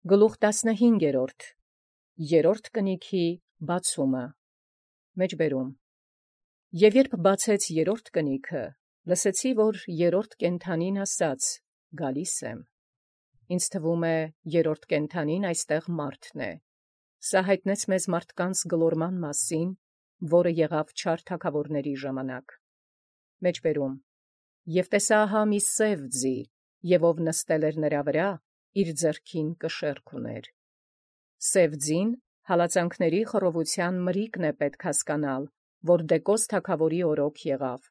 Գլուխ 15 երրորդ կնիքի բացումը մեջբերում Եւ երբ բացեց երրորդ կնիքը, լսեցի, որ երրորդ կենդանին ասաց. գալիս եմ։ Ինձ թվում է երրորդ կենդանին այստեղ մարդն է։ Սա հայտնեց մեզ մարդկանց գլորման մասին, որը եղավ չար թագավորների ժամանակ։ Մեջբերում Եվ տեսա ահա մի սև ձի, եւ ով նստել էր նրա վրա, իր ձեռքին կշեռք ուներ։ Սև ձին հալածանքների խռովության մրիկն է պետք հասկանալ, որ Դեկոս թագավորի օրոք եղավ,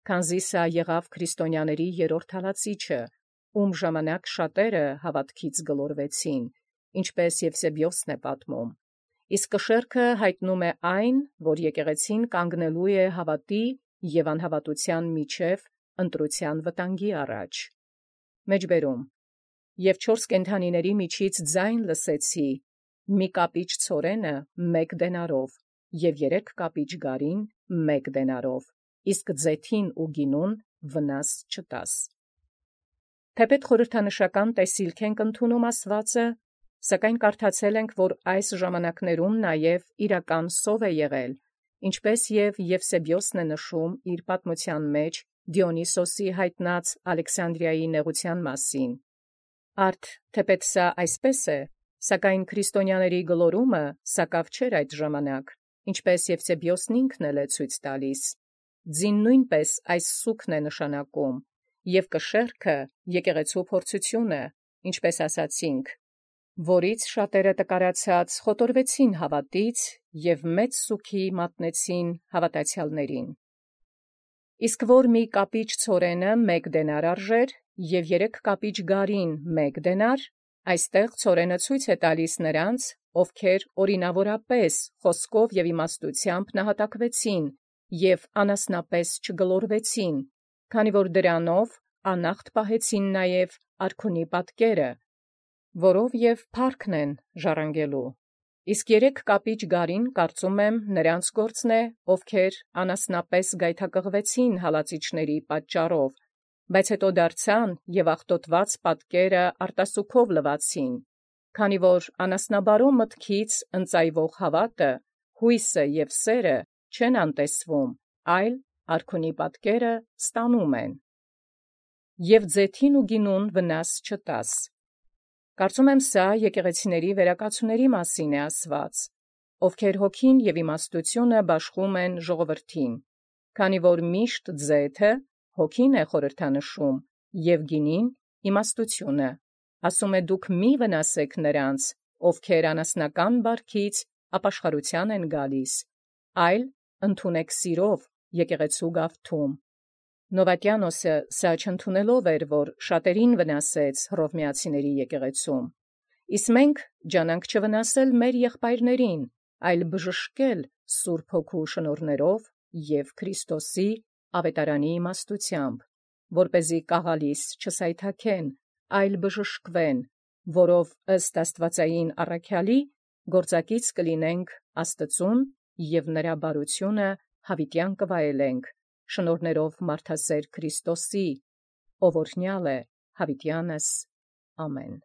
քանզի սա եղավ քրիստոնյաների երրորդ հալածիչը, ում ժամանակ շատերը հավատքից գլորվեցին, ինչպես Եվսեբիոսն է պատմում։ Իսկ կշեռքը հայտնում է այն, որ եկեղեցին կանգնելու է հավատի եւ անհավատության միջև ընտրության վտանգի առաջ։ Մեջբերում Եւ 4 կենդանիների միջից ձայն լսեցի, մի կապիչ ցորենը 1 դենարով, եւ 3 կապիչ գարին 1 դենարով, իսկ ձեթին ու գինուն վնաս չտաս։ Թեպետ խորհրդանշական տեսիլք ենք ընդունում ասվածը, սակայն կարդացել ենք, որ այս ժամանակներում նաև իրական սով է եղել, ինչպես եւ Եվսեբիոսն է նշում իր պատմության մեջ Դիոնիսոսի հայտնած Ալեքսանդրիայի նեղության մասին։ Արդ թեպետ սա այսպես է, սակայն քրիստոնյաների գլորումը սակավ չէր այդ ժամանակ, ինչպես Եվսեբիոսն ինքն է ցույց տալիս։ Ձին նույնպես այս սուքն է նշանակում, եւ կշեռքը եկեղեցու փորձությունը, ինչպես ասացինք, որից շատերը տկարացած խոտորվեցին հավատից եւ մեծ սուքի մատնեցին հավատացյալներին։ Իսկ որ մի կապիչ ցորենը 1 դենար արժեր եւ 3 կապիչ գարին 1 դենար, այստեղ ցորենը ցույց է տալիս նրանց, ովքեր օրինավորապես խոսքով եւ իմաստությամբ նահատակվեցին եւ անասնապես չգլորվեցին, քանի որ դրանով անախտ պահեցին նաեւ արքունի պատկերը, որով եւ փառքն են ժառանգելու։ Իսկ 3 կապիչ գարին կարծում եմ նրանց գործն է, ովքեր անասնապես գայթակղվեցին հալածիչների պատճառով, բայց հետո դարձան եւ աղտոտված պատկերը արտասուքով լվացին, քանի որ անասնաբարո մտքից ընծայվող հավատը, հույսը եւ սերը չեն անտեսվում, այլ արքունի պատկերը ստանում են։ Եվ ձեթին ու գինուն վնաս չտաս։ Կարծում եմ սա եկեղեցիների վերակացուների մասին է ասված, ովքեր հոգին եւ իմաստությունը բաշխում են ժողովրդին, քանի որ միշտ ձեթը հոգին է խորհրդանշում եւ գինին իմաստությունը։ Ասում է դուք մի վնասեք նրանց, ովքեր անասնական բարքից ապաշխարության են գալիս, այլ ընդունեք սիրով եկեղեցու գավթում։ Նովատյանոսը սա չընդունելով էր, որ շատերին վնասեց հռովմեացիների եկեղեցում։ Իսկ մենք ջանանք չվնասել մեր եղբայրներին, այլ բժշկել Սուրբ Հոգու շնորհներով եւ Քրիստոսի ավետարանի իմաստությամբ, որպեսզի կաղալիս չսայթաքեն, այլ բժշկվեն, որով ըստ աստվածային առաքյալի գործակից կլինենք Աստծուն եւ նրա բարությունը հավիտյան կվայելենք, շնորհներով մարդասեր Քրիստոսի, ով օրհնյալ է հավիտյանս։ Ամեն։